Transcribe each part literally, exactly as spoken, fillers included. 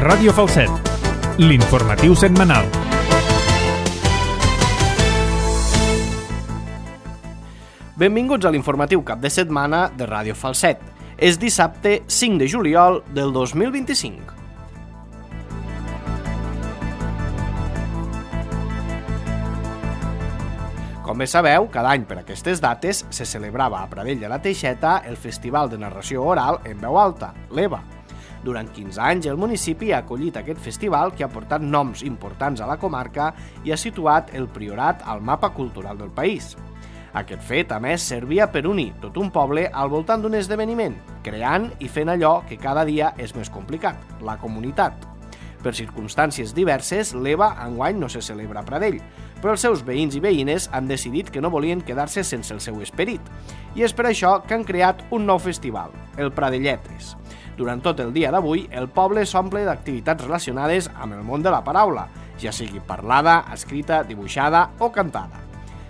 Ràdio Falset, l'informatiu setmanal. Benvinguts a l'informatiu cap de setmana de Ràdio Falset. És dissabte cinc de juliol del dos mil vint-i-cinc. Com bé sabeu, cada any per aquestes dates se celebrava a Pradell de la Teixeta el Festival de Narració Oral en Veu Alta, l'E V A. Durant quinze anys el municipi ha acollit aquest festival que ha portat noms importants a la comarca i ha situat el Priorat al mapa cultural del país. Aquest fet, a més, servia per unir tot un poble al voltant d'un esdeveniment, creant i fent allò que cada dia és més complicat, la comunitat. Per circumstàncies diverses, l'E V A enguany no se celebra a Pradell, però els seus veïns i veïnes han decidit que no volien quedar-se sense el seu esperit, i és per això que han creat un nou festival, el Pradelletres. Durant tot el dia d'avui, el poble s'omple d'activitats relacionades amb el món de la paraula, ja sigui parlada, escrita, dibuixada o cantada.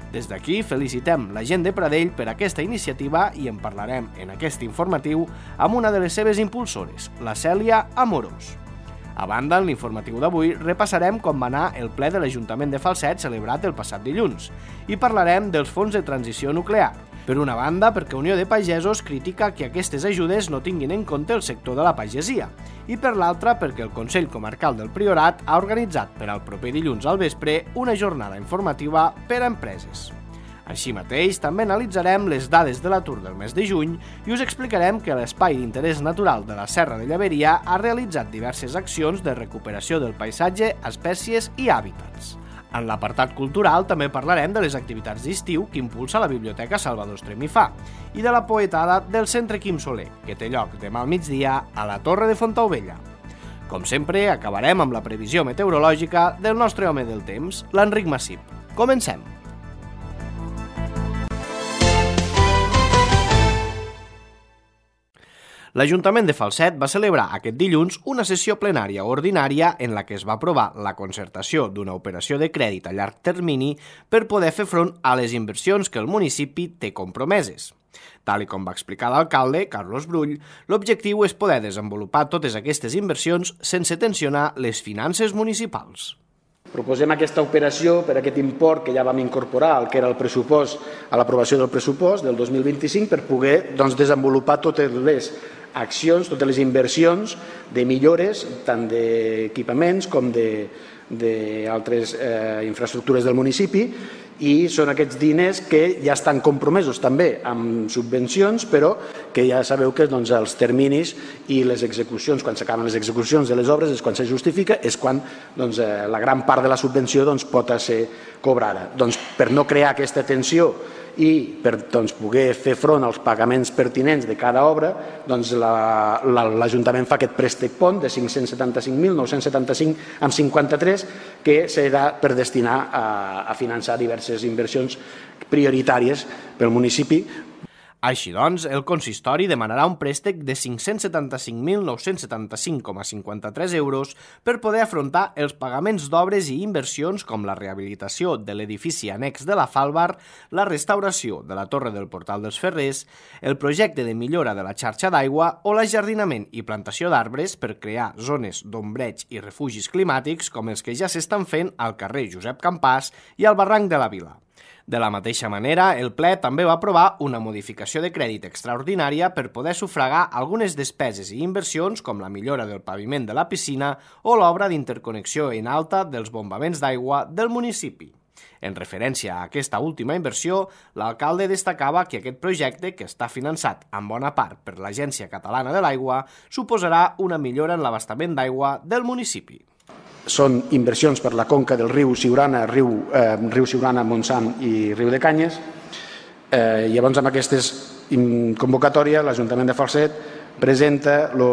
Des d'aquí felicitem la gent de Pradell per aquesta iniciativa i en parlarem en aquest informatiu amb una de les seves impulsores, la Cèlia Amorós. A banda, en l'informatiu d'avui repassarem com va anar el ple de l'Ajuntament de Falset celebrat el passat dilluns i parlarem dels fons de transició nuclear. Per una banda, perquè Unió de Pagesos critica que aquestes ajudes no tinguin en compte el sector de la pagesia i per l'altra perquè el Consell Comarcal del Priorat ha organitzat per al proper dilluns al vespre una jornada informativa per a empreses. Així mateix, també analitzarem les dades de l'atur del mes de juny i us explicarem que l'Espai d'Interès Natural de la Serra de Llaveria ha realitzat diverses accions de recuperació del paisatge, espècies i hàbitats. En l'apartat cultural també parlarem de les activitats d'estiu que impulsa la Biblioteca Salvador Estrem i Fa i de la poetada del Centre Quim Soler, que té lloc demà al migdia a la Torre de Fontaubella. Com sempre, acabarem amb la previsió meteorològica del nostre home del temps, l'Enric Massip. Comencem! L'Ajuntament de Falset va celebrar aquest dilluns una sessió plenària ordinària en la que es va aprovar la concertació d'una operació de crèdit a llarg termini per poder fer front a les inversions que el municipi té compromeses. Tal com va explicar l'alcalde, Carlos Brull, l'objectiu és poder desenvolupar totes aquestes inversions sense tensionar les finances municipals. Proposem aquesta operació per aquest import que ja vam incorporar al que era el pressupost, a l'aprovació del pressupost del dos mil vint-i-cinc per poder doncs, desenvolupar totes les accions, totes les inversions de millores, tant d'equipaments com d'altres eh, infraestructures del municipi, i són aquests diners que ja estan compromesos també amb subvencions, però que ja sabeu que doncs, els terminis i les execucions, quan s'acaben les execucions de les obres, és quan se justifica, és quan doncs, eh, la gran part de la subvenció doncs, pot ser cobrada. Doncs, per no crear aquesta tensió i per doncs, poder fer front als pagaments pertinents de cada obra, doncs, l'Ajuntament fa aquest préstec pont de cinc-cents setanta-cinc mil nou-cents setanta-cinc coma cinquanta-tres que serà per destinar a, a finançar diverses inversions prioritàries pel municipi. Així doncs, el consistori demanarà un préstec de cinc-cents setanta-cinc mil nou-cents setanta-cinc coma cinquanta-tres euros per poder afrontar els pagaments d'obres i inversions com la rehabilitació de l'edifici annex de la Falbar, la restauració de la Torre del Portal dels Ferrers, el projecte de millora de la xarxa d'aigua o l'ajardinament i plantació d'arbres per crear zones d'ombreig i refugis climàtics com els que ja s'estan fent al carrer Josep Campàs i al barranc de la Vila. De la mateixa manera, el ple també va aprovar una modificació de crèdit extraordinària per poder sufragar algunes despeses i inversions com la millora del paviment de la piscina o l'obra d'interconnexió en alta dels bombaments d'aigua del municipi. En referència a aquesta última inversió, l'alcalde destacava que aquest projecte, que està finançat en bona part per l'Agència Catalana de l'Aigua, suposarà una millora en l'abastament d'aigua del municipi. Són inversions per la conca del riu Siurana, riu, eh, riu Siurana, Montsant i riu de Canyes. Eh, llavors, amb aquesta convocatòria, l'Ajuntament de Falset presenta lo,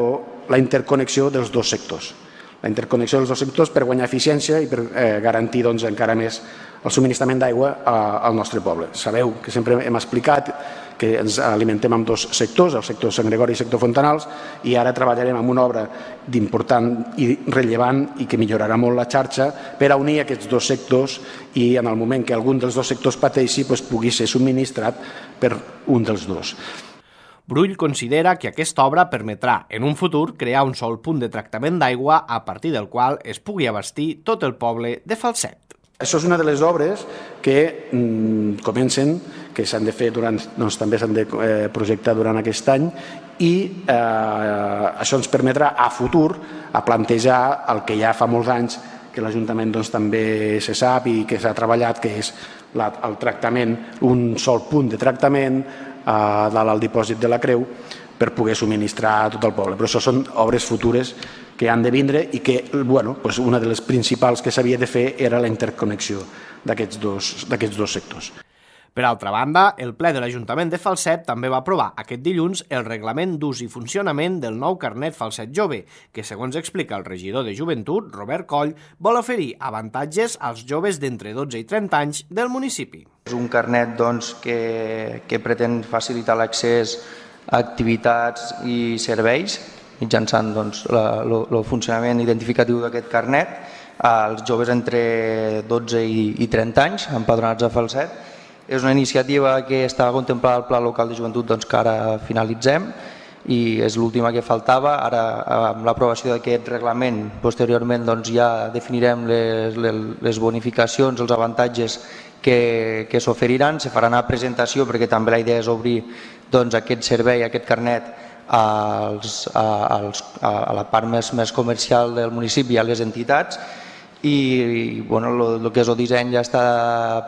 la interconnexió dels dos sectors. La interconnexió dels dos sectors per guanyar eficiència i per eh, garantir doncs, encara més el subministrament d'aigua al nostre poble. Sabeu que sempre hem explicat que ens alimentem amb dos sectors, el sector Sant Gregori i el sector Fontanals, i ara treballarem en una obra d'important i rellevant i que millorarà molt la xarxa per a unir aquests dos sectors i en el moment que algun dels dos sectors pateixi doncs, pugui ser subministrat per un dels dos. Brull considera que aquesta obra permetrà, en un futur, crear un sol punt de tractament d'aigua a partir del qual es pugui abastir tot el poble de Falset. Això és una de les obres que mm, comencen, que s'han de fer durant, doncs, també s'han de eh, projectar durant aquest any i eh, això ens permetrà a futur a plantejar el que ja fa molts anys que l'Ajuntament doncs, també se sap i que s'ha treballat, que és la, el tractament, un sol punt de tractament a dalt al dipòsit de la Creu per poder subministrar a tot el poble. Però això són obres futures que han de vindre i que, bueno, doncs una de les principals que s'havia de fer era la interconnexió d'aquests dos, d'aquests dos sectors. Per altra banda, el ple de l'Ajuntament de Falset també va aprovar aquest dilluns el reglament d'ús i funcionament del nou carnet Falset Jove, que, segons explica el regidor de Joventut, Robert Coll, vol oferir avantatges als joves d'entre dotze i trenta anys del municipi. És un carnet doncs, que, que pretén facilitar l'accés a activitats i serveis mitjançant doncs, el funcionament identificatiu d'aquest carnet als joves entre dotze i, i trenta anys empadronats a Falset. És una iniciativa que estava contemplada al Pla Local de Joventut doncs, que ara finalitzem i és l'última que faltava. Ara, amb l'aprovació d'aquest reglament, posteriorment doncs, ja definirem les, les bonificacions, els avantatges que, que s'oferiran. Se farà una presentació perquè també la idea és obrir doncs, aquest servei, aquest carnet als, als, a la part més, més comercial del municipi i a les entitats. I bueno, el que és el disseny ja està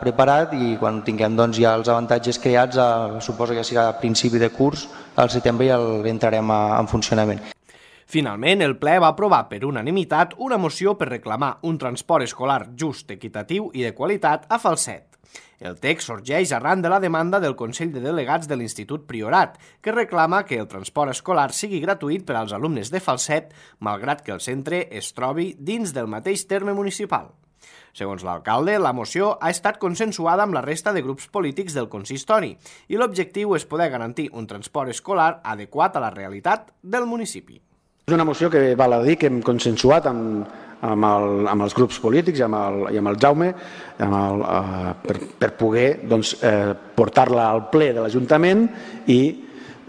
preparat i quan tinguem doncs, ja els avantatges creats, eh, suposo que serà a principi de curs, al setembre ja entrarem a, en funcionament. Finalment, el ple va aprovar per unanimitat una moció per reclamar un transport escolar just, equitatiu i de qualitat a Falset. El text sorgeix arran de la demanda del Consell de Delegats de l'Institut Priorat, que reclama que el transport escolar sigui gratuït per als alumnes de Falset, malgrat que el centre es trobi dins del mateix terme municipal. Segons l'alcalde, la moció ha estat consensuada amb la resta de grups polítics del consistori i l'objectiu és poder garantir un transport escolar adequat a la realitat del municipi. És una moció que val a dir que hem consensuat amb, amb, el, amb els grups polítics i amb el, i amb el Jaume amb el, eh, per, per poder doncs, eh, portar-la al ple de l'Ajuntament i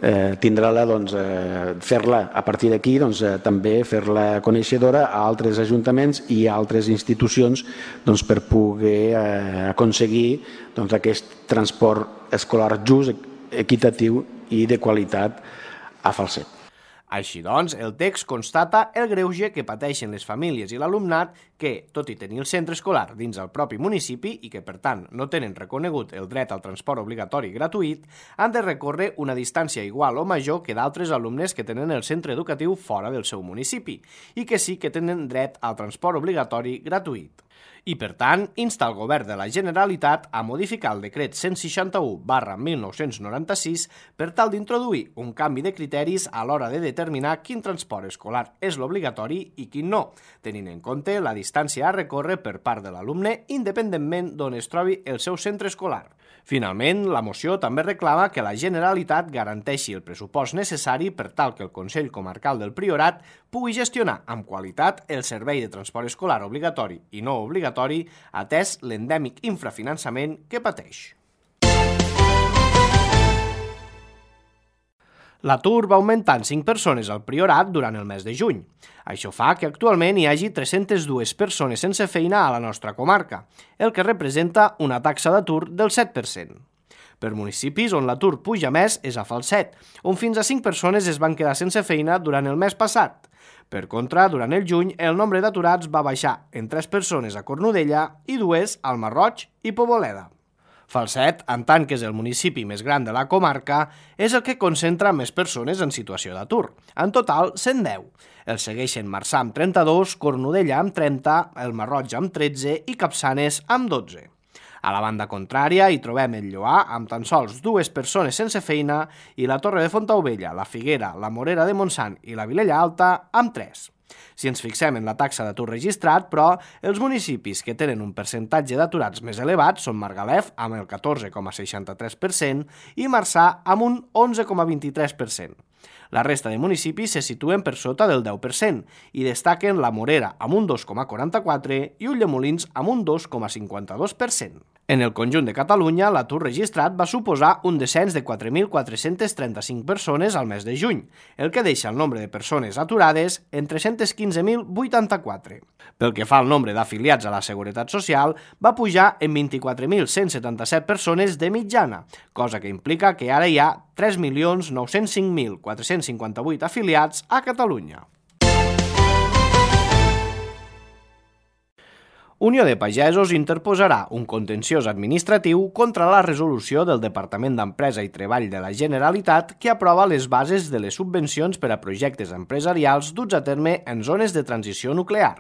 eh, tindrà-la, doncs, eh, fer-la a partir d'aquí, doncs, eh, també fer-la coneixedora a altres ajuntaments i a altres institucions doncs, per poder eh, aconseguir doncs, aquest transport escolar just, equitatiu i de qualitat a Falset. Així doncs, el text constata el greuge que pateixen les famílies i l'alumnat que, tot i tenir el centre escolar dins el propi municipi i que, per tant, no tenen reconegut el dret al transport obligatori gratuït, han de recórrer una distància igual o major que d'altres alumnes que tenen el centre educatiu fora del seu municipi i que sí que tenen dret al transport obligatori gratuït. I, per tant, insta el Govern de la Generalitat a modificar el decret cent seixanta-u barra mil nou-cents noranta-sis per tal d'introduir un canvi de criteris a l'hora de determinar quin transport escolar és l'obligatori i quin no, tenint en compte la distància a recórrer per part de l'alumne independentment d'on es trobi el seu centre escolar. Finalment, la moció també reclama que la Generalitat garanteixi el pressupost necessari per tal que el Consell Comarcal del Priorat pugui gestionar amb qualitat el servei de transport escolar obligatori i no obligatori atès l'endèmic infrafinançament que pateix. L'atur va augmentar en cinc persones al Priorat durant el mes de juny. Això fa que actualment hi hagi tres-centes dues persones sense feina a la nostra comarca, el que representa una taxa d'atur del set per cent. Per municipis on l'atur puja més és a Falset, on fins a cinc persones es van quedar sense feina durant el mes passat. Per contra, durant el juny, el nombre d'aturats va baixar en tres persones a Cornudella i dues al Masroig i Poboleda. Falset, en tant que és el municipi més gran de la comarca, és el que concentra més persones en situació d'atur. En total, cent deu. El segueixen Marçà amb trenta-dos, Cornudella amb trenta, el Masroig amb tretze i Capçanes amb dotze. A la banda contrària hi trobem el Lloar amb tan sols dues persones sense feina i la Torre de Fontaubella, la Figuera, la Morera de Montsant i la Vilella Alta amb tres. Si ens fixem en la taxa d'atur registrat, però, els municipis que tenen un percentatge d'aturats més elevat són Margalef amb el catorze coma seixanta-tres per cent i Marçà amb un onze coma vint-i-tres per cent. La resta de municipis se situen per sota del deu per cent i destaquen la Morera amb un dos coma quaranta-quatre i Ulldemolins amb un dos coma cinquanta-dos per cent. En el conjunt de Catalunya, l'atur registrat va suposar un descens de quatre mil quatre-cents trenta-cinc persones al mes de juny, el que deixa el nombre de persones aturades en tres-cents quinze mil vuitanta-quatre. Pel que fa al nombre d'afiliats a la Seguretat Social, va pujar en vint-i-quatre mil cent setanta-set persones de mitjana, cosa que implica que ara hi ha tres milions nou-cents cinc mil quatre-cents cinquanta-vuit afiliats a Catalunya. Unió de Pagesos interposarà un contenciós administratiu contra la resolució del Departament d'Empresa i Treball de la Generalitat que aprova les bases de les subvencions per a projectes empresarials duts a terme en zones de transició nuclear.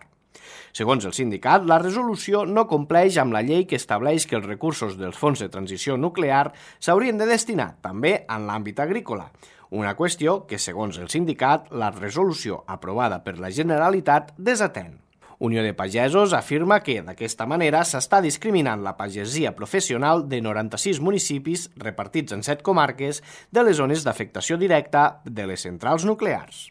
Segons el sindicat, la resolució no compleix amb la llei que estableix que els recursos dels fons de transició nuclear s'haurien de destinar també en l'àmbit agrícola, una qüestió que, segons el sindicat, la resolució aprovada per la Generalitat desatén. Unió de Pagesos afirma que, d'aquesta manera, s'està discriminant la pagesia professional de noranta-sis municipis repartits en set comarques de les zones d'afectació directa de les centrals nuclears.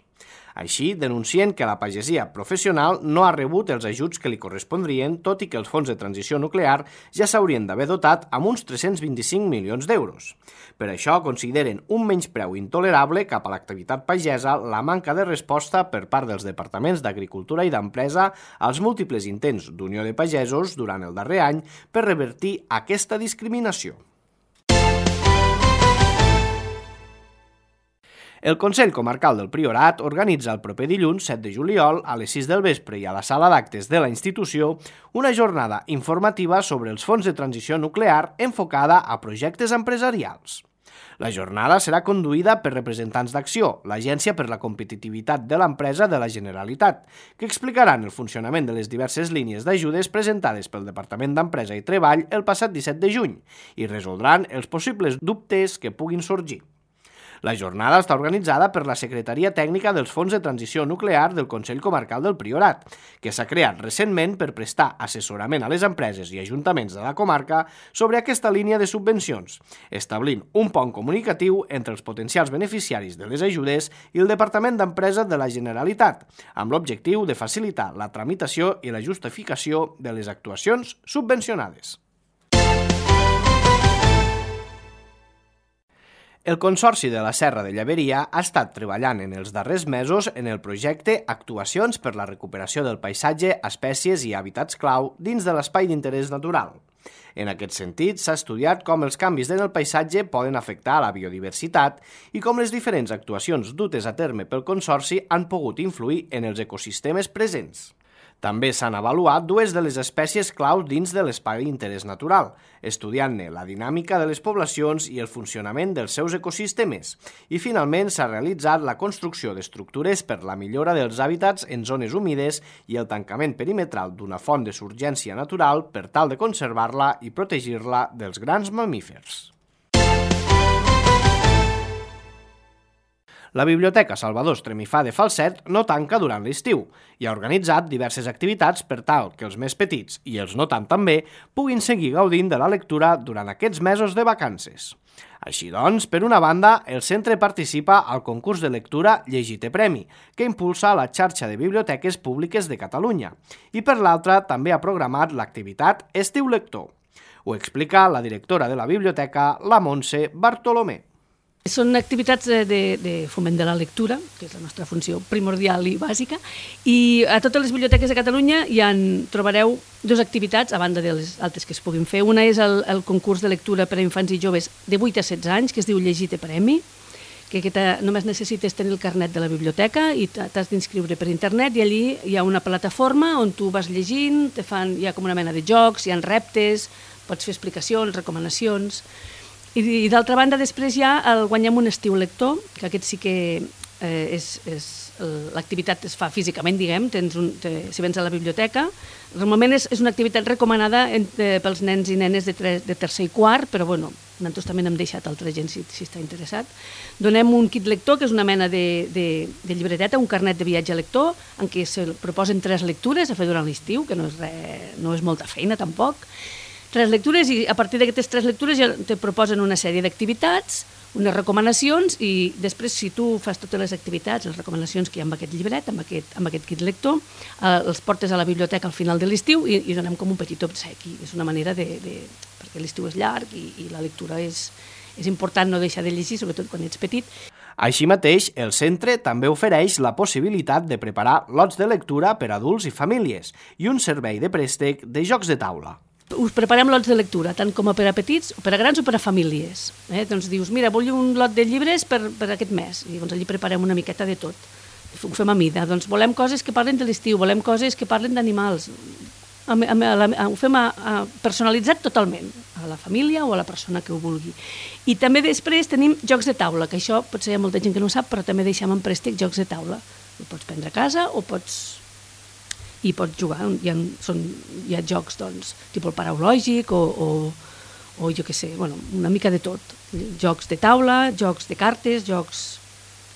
Així, denuncien que la pagesia professional no ha rebut els ajuts que li correspondrien, tot i que els fons de transició nuclear ja s'haurien d'haver dotat amb uns tres-cents vint-i-cinc milions d'euros. Per això consideren un menyspreu intolerable cap a l'activitat pagesa la manca de resposta per part dels departaments d'Agricultura i d'Empresa als múltiples intents d'Unió de Pagesos durant el darrer any per revertir aquesta discriminació. El Consell Comarcal del Priorat organitza el proper dilluns set de juliol a les sis del vespre i a la sala d'actes de la institució una jornada informativa sobre els fons de transició nuclear enfocada a projectes empresarials. La jornada serà conduïda per representants d'Acció, l'Agència per la Competitivitat de l'Empresa de la Generalitat, que explicaran el funcionament de les diverses línies d'ajudes presentades pel Departament d'Empresa i Treball el passat disset de juny i resoldran els possibles dubtes que puguin sorgir. La jornada està organitzada per la Secretaria Tècnica dels Fons de Transició Nuclear del Consell Comarcal del Priorat, que s'ha creat recentment per prestar assessorament a les empreses i ajuntaments de la comarca sobre aquesta línia de subvencions, establint un pont comunicatiu entre els potencials beneficiaris de les ajudes i el Departament d'Empresa de la Generalitat, amb l'objectiu de facilitar la tramitació i la justificació de les actuacions subvencionades. El Consorci de la Serra de Llaveria ha estat treballant en els darrers mesos en el projecte Actuacions per la recuperació del paisatge, espècies i hàbitats clau dins de l'espai d'interès natural. En aquest sentit, s'ha estudiat com els canvis en el paisatge poden afectar a la biodiversitat i com les diferents actuacions dutes a terme pel Consorci han pogut influir en els ecosistemes presents. També s'han avaluat dues de les espècies clau dins de l'espai d'interès natural, estudiant-ne la dinàmica de les poblacions i el funcionament dels seus ecosistemes. I finalment s'ha realitzat la construcció d'estructures per la millora dels hàbitats en zones humides i el tancament perimetral d'una font de surgència natural per tal de conservar-la i protegir-la dels grans mamífers. La Biblioteca Salvador Estremifà de Falset no tanca durant l'estiu i ha organitzat diverses activitats per tal que els més petits i els no tant també puguin seguir gaudint de la lectura durant aquests mesos de vacances. Així doncs, per una banda, el centre participa al concurs de lectura Llegite Premi, que impulsa la xarxa de biblioteques públiques de Catalunya, i per l'altra també ha programat l'activitat Estiu Lector. Ho explica la directora de la biblioteca, la Montse Bartolomé. Són activitats de, de foment de la lectura, que és la nostra funció primordial i bàsica, i a totes les biblioteques de Catalunya hi en trobareu dues activitats, a banda de les altres que es puguin fer. Una és el, el concurs de lectura per a infants i joves de vuit a setze anys, que es diu Llegite Premi, que aquesta, només necessites tenir el carnet de la biblioteca i t'has d'inscriure per internet, i allí hi ha una plataforma on tu vas llegint, te fan, hi ha com una mena de jocs, hi ha reptes, pots fer explicacions, recomanacions. I, i d'altra banda, després hi ha el Guanyem un estiu lector, que aquest sí que eh, és, és l'activitat es fa físicament, diguem, tens un, te, si vens a la biblioteca. Normalment és, és una activitat recomanada en, eh, pels nens i nenes de, tre, de tercer i quart, però bueno, nosaltres també n'hem deixat altra gent si, si està interessat. Donem un kit lector, que és una mena de, de, de llibreteta, un carnet de viatge lector, en què se proposen tres lectures a fer durant l'estiu, que no és, re, no és molta feina tampoc. Tres lectures, i a partir d'aquestes tres lectures ja te proposen una sèrie d'activitats, unes recomanacions i després, si tu fas totes les activitats, les recomanacions que hi ha amb aquest llibret, amb aquest, amb aquest kit lector, eh, els portes a la biblioteca al final de l'estiu i, i donem com un petit obsequi. És una manera de... de perquè l'estiu és llarg i, i la lectura és, és important no deixar de llegir, sobretot quan ets petit. Així mateix, el centre també ofereix la possibilitat de preparar lots de lectura per a adults i famílies i un servei de préstec de jocs de taula. Us preparem lots de lectura, tant com a per a petits, o per a grans o per a famílies. Eh? Doncs dius, mira, vull un lot de llibres per, per aquest mes. I llavors allí preparem una miqueta de tot. Ho fem a mida. Doncs volem coses que parlen de l'estiu, volem coses que parlen d'animals. Ho fem a, a, personalitzat totalment, a la família o a la persona que ho vulgui. I també després tenim jocs de taula, que això potser hi ha molta gent que no ho sap, però també deixem en préstec jocs de taula. Ho pots prendre a casa o pots... i pots jugar. Hi ha, són, hi ha jocs, doncs, tipus el paraulògic o, o, o jo què sé, bueno, una mica de tot. Jocs de taula, jocs de cartes, jocs...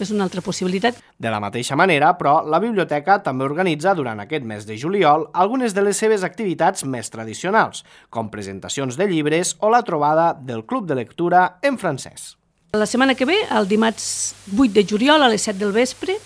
És una altra possibilitat. De la mateixa manera, però, la biblioteca també organitza durant aquest mes de juliol algunes de les seves activitats més tradicionals, com presentacions de llibres o la trobada del Club de Lectura en francès. La setmana que ve, el dimarts vuit de juliol a les set del vespre,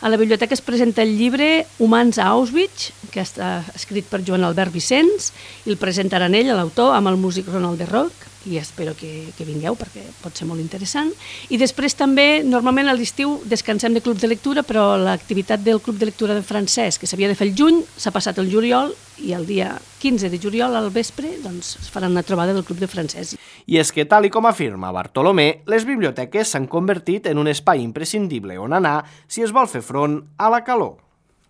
a la biblioteca es presenta el llibre Humans a Auschwitz, que està escrit per Joan Albert Vicenç, i el presentaran ell, l'autor, amb el músic Ronald de Roc, i espero que, que vingueu perquè pot ser molt interessant. I després també, normalment a l'estiu descansem de club de lectura, però l'activitat del club de lectura de francès, que s'havia de fer el juny, s'ha passat el juliol, i el dia quinze de juliol al vespre doncs, es farà una trobada del club de francès. I és que, tal i com afirma Bartolomé, les biblioteques s'han convertit en un espai imprescindible on anar si es vol fer front a la calor.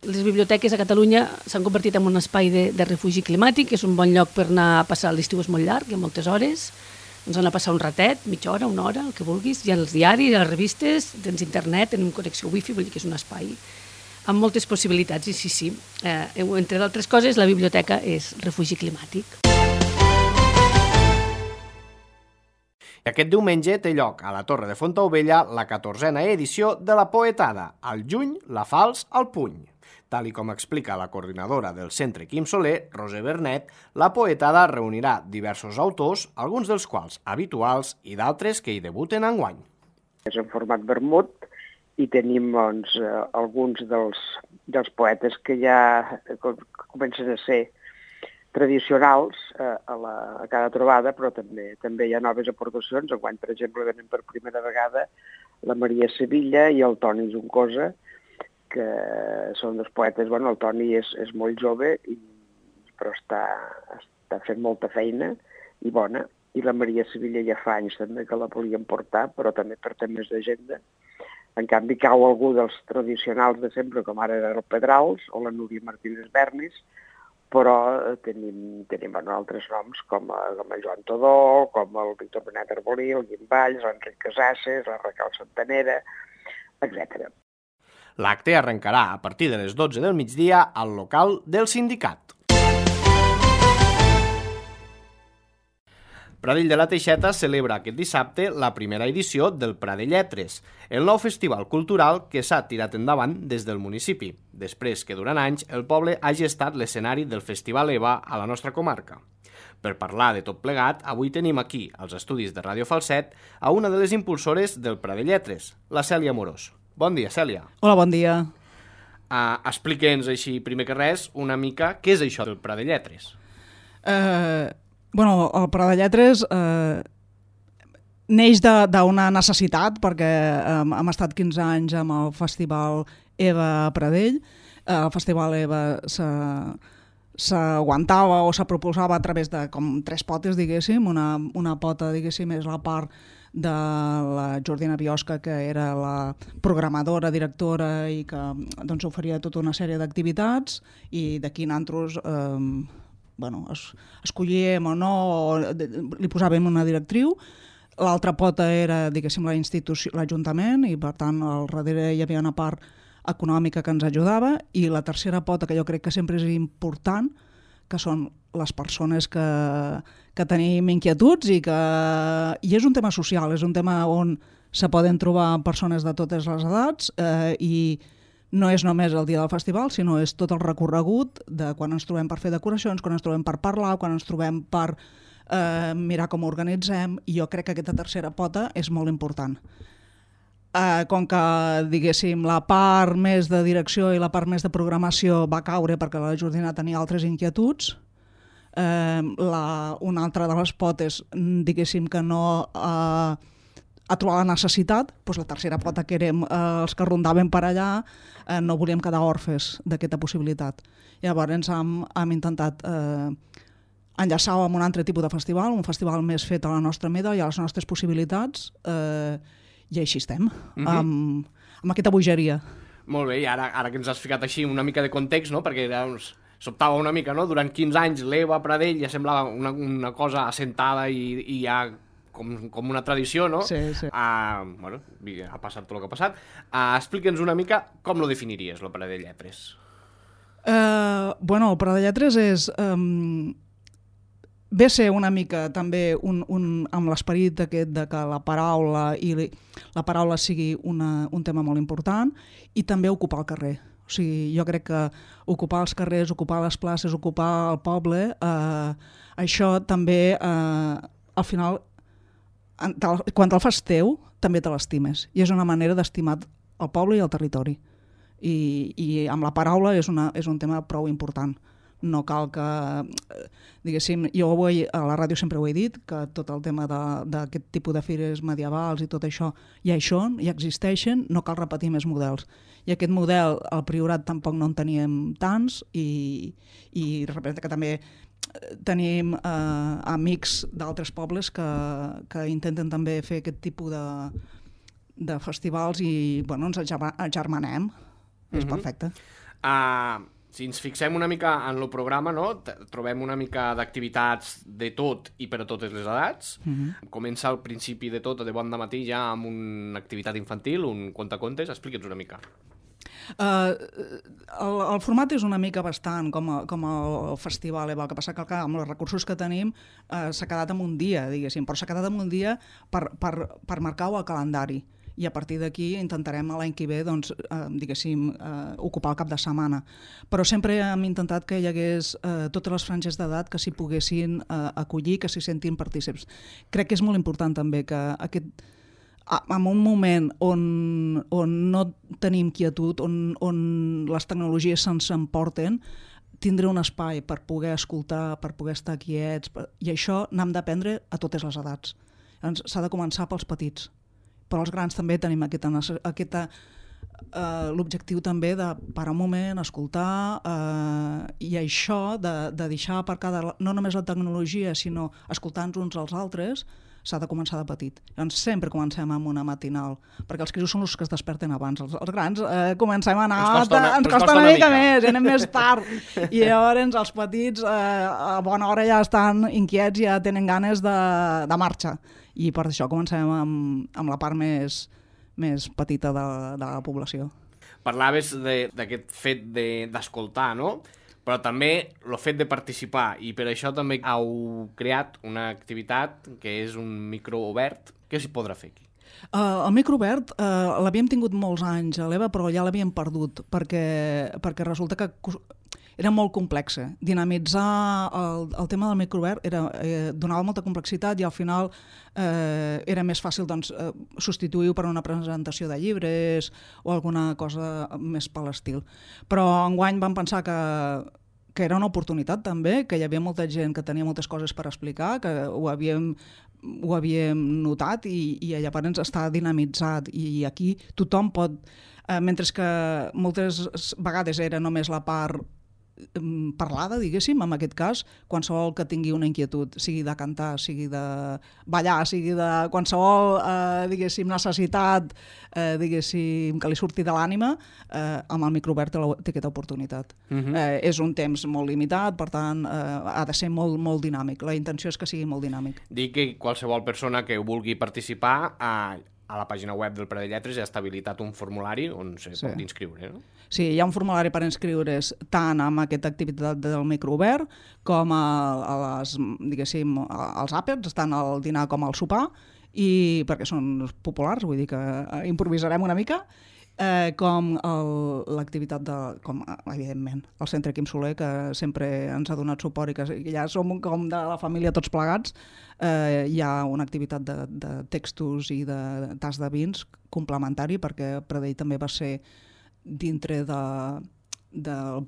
Les biblioteques a Catalunya s'han convertit en un espai de, de refugi climàtic, és un bon lloc per anar a passar, l'estiu és molt llarg, hi ha moltes hores, doncs anar a passar un ratet, mitja hora, una hora, el que vulguis, hi ha els diaris, hi ha les revistes, tens internet, tenim connexió wifi, vull dir que és un espai amb moltes possibilitats, i sí, sí, eh, entre d'altres coses, la biblioteca és refugi climàtic. Aquest diumenge té lloc a la Torre de Fontaubella la catorzena edició de la Poetada, al juny, la Falç al puny. Tal i com explica la coordinadora del Centre Quim Soler, Roser Bernet, la Poetada reunirà diversos autors, alguns dels quals habituals i d'altres que hi debuten enguany. És en format vermut i tenim doncs, alguns dels, dels poetes que ja comencen a ser tradicionals a, la, a cada trobada, però també també hi ha noves aportacions. Enguany, per exemple, venen per primera vegada la Maria Sevilla i el Toni Juncosa, que són dos poetes. Bueno, el Toni és, és molt jove, i, però està, està fent molta feina i bona. I la Maria Sevilla ja fa anys també que la volien portar, però també per temes d'agenda. En canvi, cau algú dels tradicionals de sempre, com ara era el Pedrals o la Núria Martínez Bernis, però tenim, tenim bueno, altres noms com, com el Joan Todó, com el Víctor Benet Arbolí, el Guim Valls, l'Enric Casasses, la Raquel Santanera, etcètera. L'acte arrencarà a partir de les dotze del migdia al local del sindicat. Pradell de la Teixeta celebra aquest dissabte la primera edició del Prat de Lletres, el nou festival cultural que s'ha tirat endavant des del municipi, després que durant anys el poble hagi estat l'escenari del Festival EVA a la nostra comarca. Per parlar de tot plegat, avui tenim aquí, als estudis de Ràdio Falset, a una de les impulsores del Prat de Lletres, la Cèlia Amorós. Bon dia, Cèlia. Hola, bon dia. Uh, Explica'ns així, primer que res, una mica què és això del Prat de Lletres. Eh... Uh... Bueno, el Prat de Lletres eh, neix d'una necessitat, perquè eh, hem estat quinze anys amb el Festival EVA a Pradell. Eh, el Festival EVA s'aguantava o se proposava a través de com tres potes, diguéssim. Una, una pota, diguéssim, és la part de la Jordina Biosca, que era la programadora, directora, i que doncs, oferia tota una sèrie d'activitats, i d'aquí nosaltres... Eh, bueno, es, escollíem o no, o li posàvem una directriu. L'altra pota era, diguéssim, la institució, l'Ajuntament, i per tant al darrere hi havia una part econòmica que ens ajudava, i la tercera pota, que jo crec que sempre és important, que són les persones que, que tenim inquietuds, i que i és un tema social, és un tema on se poden trobar persones de totes les edats, eh, i no és només el dia del festival, sinó és tot el recorregut de quan ens trobem per fer decoracions, quan ens trobem per parlar, quan ens trobem per eh, mirar com ho organitzem, i jo crec que aquesta tercera pota és molt important. Uh, com que, diguéssim, la part més de direcció i la part més de programació va caure perquè la Jordina tenia altres inquietuds, uh, la, una altra de les potes, diguéssim que no uh, ha trobat la necessitat, doncs la tercera pota, que érem uh, els que rondaven per allà, uh, no volíem quedar orfes d'aquesta possibilitat. Llavors hem, hem intentat uh, enllaçar amb un altre tipus de festival, un festival més fet a la nostra mida i a les nostres possibilitats, uh, i així estem, mm-hmm. amb, amb aquesta bogeria. Molt bé, i ara, ara que ens has ficat així una mica de context, no? Perquè doncs, sobtava una mica, no? Durant quinze anys l'Eva Pradell ja semblava una, una cosa assentada i, i ja com, com una tradició, no? Sí, sí. Uh, bueno, ha passat tot el que ha passat. Uh, Explica'ns una mica com lo definiries, lo Pradell Lletres. Uh, bueno, el Pradell Lletres és... Um, ve a ser una mica també un, un, amb l'esperit aquest de que la paraula i li, la paraula sigui una, un tema molt important, i també ocupar el carrer. O sigui, jo crec que ocupar els carrers, ocupar les places, ocupar el poble, eh, això també, eh, al final, quan te'l fas teu, també te l'estimes. I és una manera d'estimar el poble i el territori. I, i amb la paraula és, una, és un tema prou important. No cal que, diguéssim, jo avui a la ràdio sempre ho he dit, que tot el tema d'aquest tipus de fires medievals i tot això ja hi són, ja existeixen, no cal repetir més models. I aquest model al Priorat tampoc no en teníem tants, i, i representa que també tenim eh, amics d'altres pobles que, que intenten també fer aquest tipus de, de festivals i bueno, ens agermanem. Mm-hmm. És perfecte. Uh... Si ens fixem una mica en el programa, no? Trobem una mica d'activitats de tot i per a totes les edats. Mm-hmm. Comença al principi de tot, de bon dematí, ja amb una activitat infantil, un contacontes. Explica'ns una mica. Uh, el, el format és una mica bastant com, a, com el festival, eh? El que passa que amb els recursos que tenim uh, s'ha quedat en un dia, diguéssim, però s'ha quedat en un dia per, per, per marcar-ho al calendari. I a partir d'aquí intentarem l'any que ve, doncs, eh, diguéssim, eh, ocupar el cap de setmana. Però sempre hem intentat que hi hagués eh, totes les franges d'edat que s'hi poguessin eh, acollir, que s'hi sentin partícips. Crec que és molt important també que aquest, en un moment on, on no tenim quietud, on, on les tecnologies se'ns emporten, tindre un espai per poder escoltar, per poder estar quiets, per... i això n'hem d'aprendre a totes les edats. Llavors s'ha de començar pels petits. Però els grans també tenim aquesta, aquesta, eh, l'objectiu també de parar un moment, escoltar, eh, i això de, de deixar aparcar de, no només la tecnologia, sinó escoltar-nos uns als altres, s'ha de començar de petit. Llavors sempre comencem amb una matinal, perquè els quirus són els que es desperten abans. Els, els grans eh, comencem a anar... Ens costa una, ens costa una, una mica, mica més, anem més tard. I llavors els petits eh, a bona hora ja estan inquiets, ja tenen ganes de, de marxa. I per això comencem amb, amb la part més, més petita de, de la població. Parlaves d'aquest fet d'escoltar, de, no? Però també el fet de participar, i per això també heu creat una activitat que és un micro obert. Què s'hi podrà fer aquí? Uh, el micro obert uh, l'havíem tingut molts anys a l'Eva, però ja l'havíem perdut, perquè, perquè resulta que era molt complexa. Dinamitzar el, el tema del microobert era, eh, donava molta complexitat, i al final eh, era més fàcil doncs, eh, substituir-ho per una presentació de llibres o alguna cosa més per l'estil. Però enguany vam pensar que, que era una oportunitat també, que hi havia molta gent que tenia moltes coses per explicar, que ho havíem, ho havíem notat, i, i llavors està dinamitzat, i aquí tothom pot, eh, mentre que moltes vegades era només la part parlada, diguéssim, en aquest cas, qualsevol que tingui una inquietud, sigui de cantar, sigui de ballar, sigui de qualsevol, eh, diguéssim, necessitat, eh, diguéssim, que li surti de l'ànima, eh, amb el microobert té aquesta oportunitat. Uh-huh. eh, és un temps molt limitat, per tant, eh, ha de ser molt, molt dinàmic. La intenció és que sigui molt dinàmic. Dic que qualsevol persona que vulgui participar a, a la pàgina web del Pradell Lletres ja està habilitat un formulari on se sí. pot inscriure, no? Sí, hi ha un formulari per inscriure's tant amb aquesta activitat del microobert com a, a les, diguéssim, als àpats, tant al dinar com al sopar, i perquè són populars, vull dir que improvisarem una mica, Eh, com el- l'activitat de, com evidentment, el Centre Quim Soler, que sempre ens ha donat suport i que ja som com de la família tots plegats, eh, hi ha una activitat de, de textos i de tas de vins complementari, perquè Pradell també va ser dintre de, del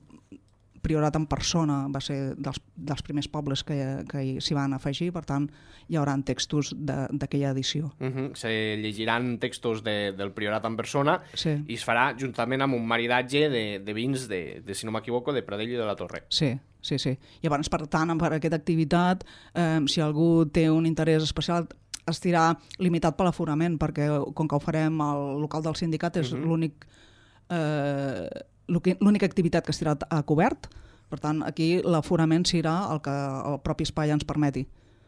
Priorat en persona, va ser dels, dels primers pobles que, que s'hi van afegir, per tant hi haurà textos de- d'aquella edició. Uh -huh. Se llegiran textos de, del Priorat en persona Sí. i es farà juntament amb un maridatge de, de vins, de, de, si no m'equivoco, de Pradell i de la Torre. Sí, sí, sí. Llavors, per tant, per aquesta activitat, eh, si algú té un interès especial, estirà limitat per l'aforament, perquè com que ho farem al local del sindicat és Mhm. l'únic eh, l'únic- l'única activitat que estirà a cobert, per tant, aquí l'aforament serà el que el propi espai ens permeti.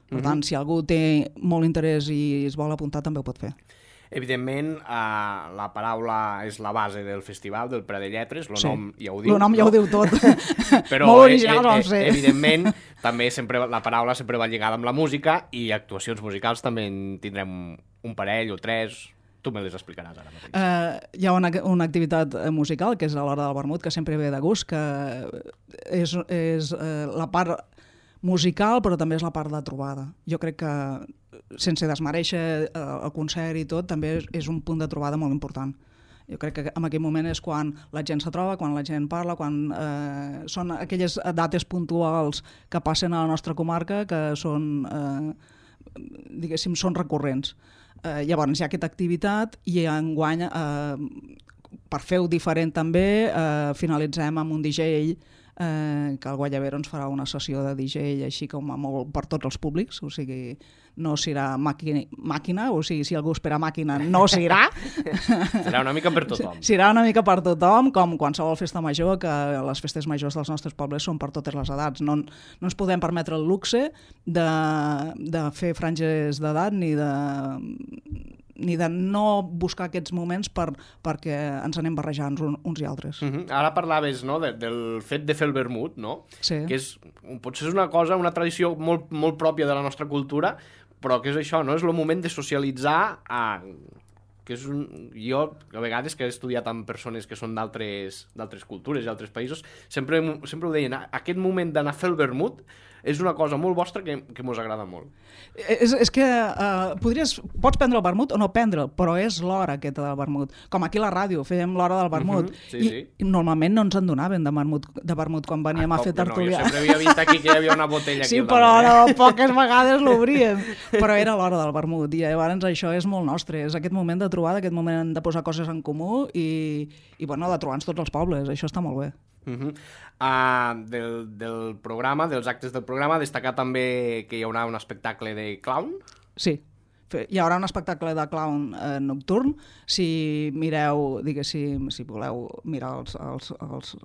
Per tant, si algú té molt interès i es vol apuntar, també ho pot fer. Evidentment, eh, la paraula és la base del festival, del Pradell Lletres, el Sí. nom ja ho diu. El nom ja no? ho diu tot. Però, Molt originals eh, vam eh, ser. evidentment, també sempre la paraula sempre va lligada amb la música i actuacions musicals també en tindrem un parell o tres. Tu me les explicaràs ara mateix. Uh, hi ha una, una activitat eh, musical, que és a l'hora del vermut, que sempre ve de gust, que és, és uh, la part musical, però també és la part de trobada. Jo crec que, sense desmereixer uh, el concert i tot, també és, és un punt de trobada molt important. Jo crec que en aquell moment és quan la gent se troba, quan la gent parla, quan eh, són aquelles dates puntuals que passen a la nostra comarca que són, eh, diguéssim, són recurrents. Eh, llavors hi ha aquesta activitat i enguany, eh, per fer-ho diferent també, eh, finalitzem amb un D J eh, que el Guayabero ens farà una sessió de D J així com a molt per tots els públics, o sigui, no serà màquina, màquina o sigui, si algú espera màquina, no serà. Serà una mica per tothom. Serà una mica per tothom, com qualsevol festa major, que les festes majors dels nostres pobles són per totes les edats. No, no ens podem permetre el luxe de, de fer franges d'edat ni de ni de no buscar aquests moments per, perquè ens anem barrejant uns, uns i altres. Uh -huh. Ara parlaves, no, de, del fet de fer el vermut, no? Sí. Que és, potser és una cosa, una tradició molt, molt pròpia de la nostra cultura, però que és això, no? És el moment de socialitzar a... que és un... Jo, a vegades, que he estudiat amb persones que són d'altres d'altres cultures i altres països, sempre, sempre ho deien, aquest moment d'anar a fer el vermut és una cosa molt vostra que, que mos agrada molt. És, és que uh, podries, pots prendre el vermut o no prendre'l, però és l'hora aquesta del vermut. Com aquí a la ràdio, fèiem l'hora del vermut. Mhm, sí, I, sí. I normalment no ens en donaven de vermut, de vermut quan veníem Ah, a com fer que no? tertúlia. Jo sempre havia vist aquí que hi havia una botella aquí Sí, al però damunt, no, poques vegades l'obríem. Però era l'hora del vermut i llavors això és molt nostre. És aquest moment de trobada, aquest moment de posar coses en comú i, i bueno, de trobar-nos tots els pobles. Això està molt bé. Uh -huh. uh, del, del programa, dels actes del programa, destacar també que hi haurà un espectacle de clown. Sí, Fe- hi haurà un espectacle de clown eh, nocturn. Si mireu, diguéssim, si voleu mirar els, els, els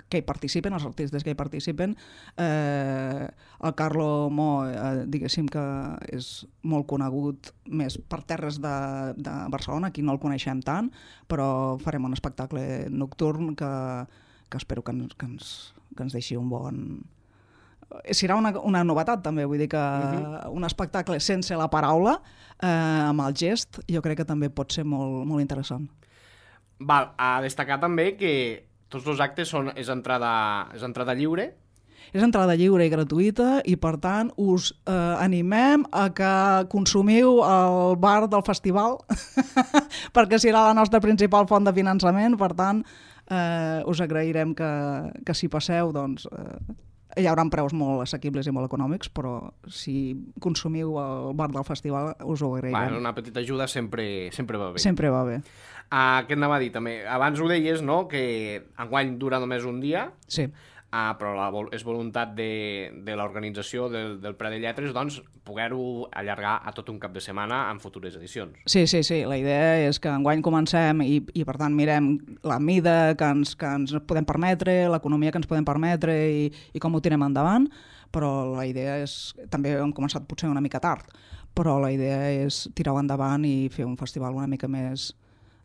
que hi participen, els artistes que hi participen, eh, el Carlo Mo, eh, diguéssim que és molt conegut més per terres de, de Barcelona, aquí no el coneixem tant, però farem un espectacle nocturn que, que espero que ens, que ens, que ens deixi un bon... Serà una, una novetat també, vull dir que uh-huh. un espectacle sense la paraula, eh, amb el gest, jo crec que també pot ser molt, molt interessant. Val, a destacar també que tots els actes són, és, entrada, és entrada lliure. És entrada lliure i gratuïta i, per tant, us eh, animem a que consumiu el bar del festival perquè serà la nostra principal font de finançament, per tant, eh, us agrairem que, que si passeu, doncs, eh, hi haurà preus molt assequibles i molt econòmics, però si consumiu el bar del festival us ho agrairem. Bueno, una petita ajuda sempre, sempre va bé. Sempre va bé. Uh, què anava a dir també? Abans ho deies, no?, que enguany dura només un dia, Sí. uh, però la, vol- és voluntat de, de l'organització del, del Pradell Lletres, doncs, poder-ho allargar a tot un cap de setmana en futures edicions. Sí, sí, sí. La idea és que enguany comencem i, i per tant, mirem la mida que ens, que ens podem permetre, l'economia que ens podem permetre i, i com ho tirem endavant, però la idea és... També hem començat potser una mica tard, però la idea és tirar-ho endavant i fer un festival una mica més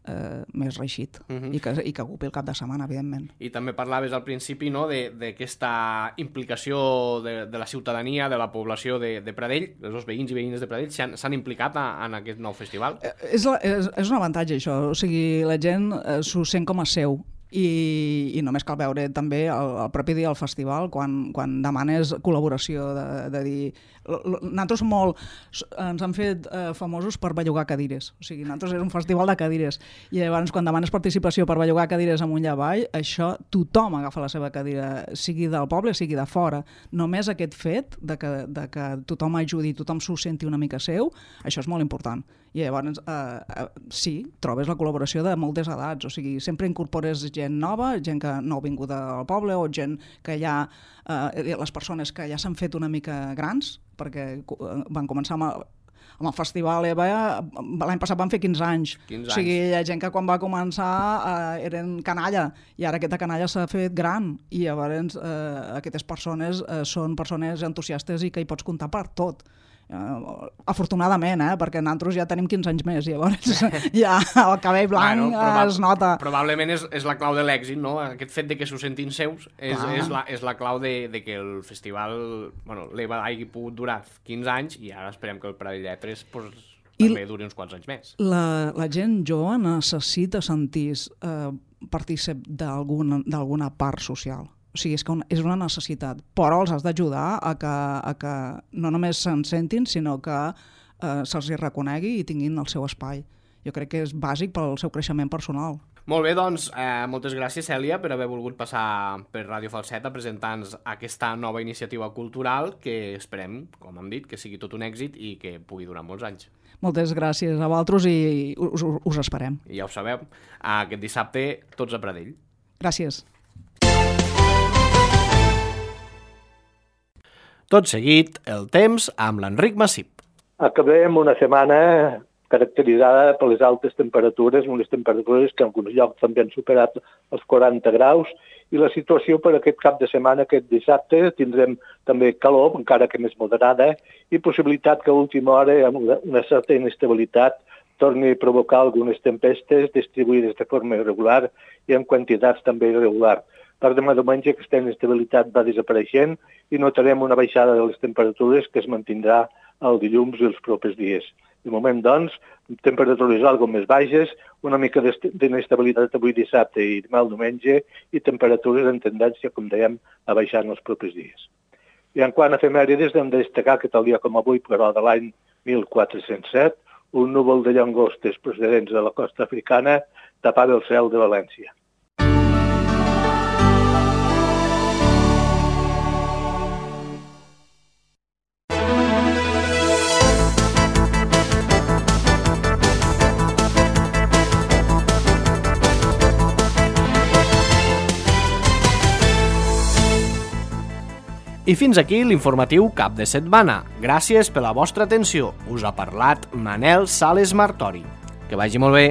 eh, més reeixit uh-huh. i, que, i que ocupi el cap de setmana, evidentment. I també parlaves al principi, no?, d'aquesta implicació de, de la ciutadania, de la població de, de Pradell, els veïns i veïnes de Pradell s'han implicat a, en aquest nou festival. Eh, és, la, és, és un avantatge això, o sigui, la gent eh, s'ho sent com a seu. I, i només cal veure també el, el propi dia del festival quan, quan demanes col·laboració de, de dir... Nosaltres molt, ens han fet eh, famosos per bellugar cadires, o sigui, nosaltres és un festival de cadires i llavors quan demanes participació per bellugar cadires amunt i avall, això tothom agafa la seva cadira, sigui del poble sigui de fora, només aquest fet de que, de que tothom ajudi, tothom s'ho senti una mica seu, això és molt important. I llavors, eh, eh, sí, trobes la col·laboració de moltes edats, o sigui, sempre incorpores gent nova, gent que no ha vingut al poble, o gent que ja, eh, les persones que ja s'han fet una mica grans, perquè van començar amb, amb el festival EVA, l'any passat van fer quinze anys. quinze o sigui, anys. hi ha gent que quan va començar eh, eren canalla, i ara aquesta canalla s'ha fet gran, i llavors eh, aquestes persones eh, són persones entusiastes i que hi pots comptar per tot. Uh, afortunadament, eh? Perquè nosaltres ja tenim quinze anys més, llavors ja el cabell blanc bueno, proba- es nota. Probablement és, és la clau de l'èxit, no? Aquest fet de que s'ho sentin seus és, és, la, és la clau de, de que el festival, bueno, l'EVA hagi pogut durar quinze anys i ara esperem que el Pradell Lletres pues, també I duri uns quants anys més. La, la gent jove necessita sentir eh, partícip d'alguna d'alguna part social. O sigui, és que és una necessitat, però els has d'ajudar a que, a que no només se'n sentin, sinó que eh, se'ls hi reconegui i tinguin el seu espai. Jo crec que és bàsic pel seu creixement personal. Molt bé, doncs, eh, moltes gràcies, Cèlia, per haver volgut passar per Ràdio Falset a presentar-nos aquesta nova iniciativa cultural que esperem, com hem dit, que sigui tot un èxit i que pugui durar molts anys. Moltes gràcies a vosaltres i us, us esperem. I ja ho sabeu, aquest dissabte tots a Pradell. Gràcies. Tot seguit, el temps amb l'Enric Massip. Acabem una setmana caracteritzada per les altes temperatures, unes temperatures que en alguns llocs també han superat els quaranta graus, i la situació per aquest cap de setmana, aquest dissabte, tindrem també calor, encara que més moderada, i possibilitat que a última hora, amb una certa inestabilitat, torni a provocar algunes tempestes distribuïdes de forma irregular i en quantitats també irregular. Per demà diumenge aquesta inestabilitat va desapareixent i notarem una baixada de les temperatures que es mantindrà el dilluns i els propers dies. De moment, doncs, temperatures algo més baixes, una mica d'inestabilitat avui dissabte i demà el diumenge i temperatures en tendència, com dèiem, a baixar en els propers dies. I en quant a efemèrides, hem de destacar que tal dia com avui, però de l'any mil quatre-cents set, un núvol de llangostes procedents de la costa africana tapava el cel de València. I fins aquí l'informatiu cap de setmana. Gràcies per la vostra atenció. Us ha parlat Manel Sales Martori. Que vagi molt bé.